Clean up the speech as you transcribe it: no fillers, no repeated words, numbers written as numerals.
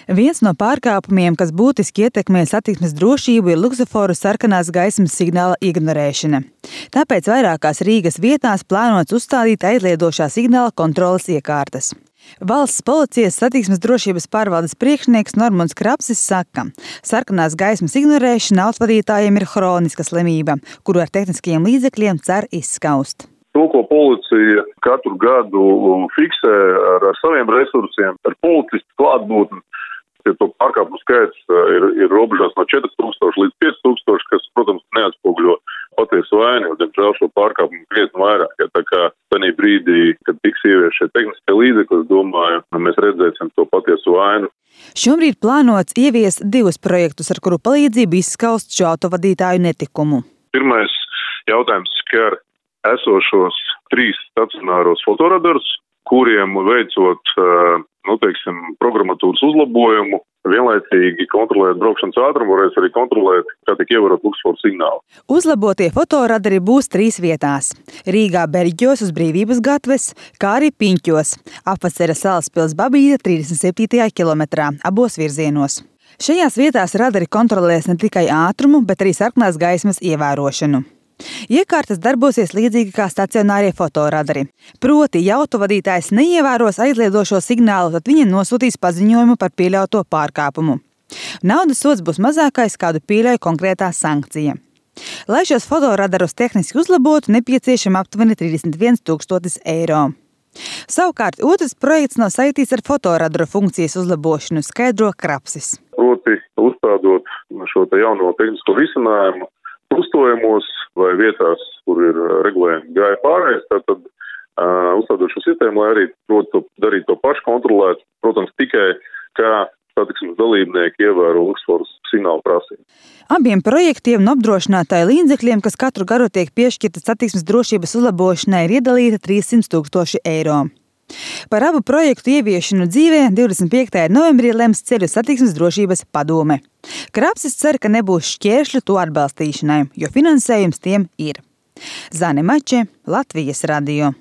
Viens no pārkāpumiem, kas būtiski ietekmē satiksmes drošību, ir luksusforu sarkanās gaismas signāla ignorēšana. Tāpēc vairākās Rīgas vietās plānots uzstādīt aizliedošā signāla kontroles iekārtas. Valsts policijas satiksmes drošības pārvaldes priekšnieks Normunds Krapsis saka, sarkanās gaismas ignorēšana autovadītājiem ir hroniska slimība, kuru ar tehniskajiem līdzekļiem cer izskaust. To, ko policija katru gadu fiksē ar saviem resursiem, ar policistu klātbūtni, to pārkāpumu skaits ir robežās no 4000 līdz 5000, kas, protams, neatspoguļo patiesu vainu, jo, diemžēl, šo pārkāpumu krietni vairāk. Ja, tā kā tajā brīdī, kad tiks ieviesti šie tehniskie līdzekļi, es domāju, mēs redzēsim to patiesu vainu. Šobrīd plānots ieviest 2 projektus, ar kuru palīdzību izskaust šo autovadītāju netikumu. Pirmais jautājums skar esošos 3 stacionāros fotoradarus, kuriem veicot, programmatūras uzlabojumu, vienlaicīgi kontrolēt braukšanas ātrumu, varēs arī kontrolēt, kā tiek ievērot luksusforu signāli. Uzlabotie fotoradari būs 3 vietās – Rīgā Berģos uz Brīvības gatves, kā arī Piņķos, apvacera Salaspils Babīda 37. kilometrā, abos virzienos. Šajās vietās radari kontrolēs ne tikai ātrumu, bet arī sarkanās gaismas ievērošanu. Iekārtas darbosies līdzīgi kā stacionārie fotoradari. Proti, ja autovadītājs neievēros aizliedošo signālu, tad viņam nosūtīs paziņojumu par pieļauto pārkāpumu. Naudas sods būs mazākais, kādu pieļauj konkrētā sankcija. Lai šos fotoradarus tehniski uzlabotu, nepieciešama aptuveni 31 000 eiro. Savukārt, otrs projekts nav saistīts ar fotoradaru funkcijas uzlabošanu, skaidro Krapsis. Proti, uzstādot šo jauno tehnisko risinājumu, krustojumos vai vietās, kur ir regulējumi gāja pārējais, tad uzstādot šo sistēmu, lai arī darīt to pašu kontrolēt, protams, tikai kā satiksmes dalībnieki ievēro luksusforu signālu prasību. Abiem projektiem un apdrošinātāju līdzekļiem, kas katru gadu tiek piešķirta satiksmes drošības uzlabošanai, ir iedalīta 300 000 eiro. Par abu projektu ieviešanu dzīvē 25. novembrī lems Ceļu satiksmes drošības padome. Krapsis cer, ka nebūs šķēršļu to atbalstīšanai, jo finansējums tiem ir. Zane Mače, Latvijas radio.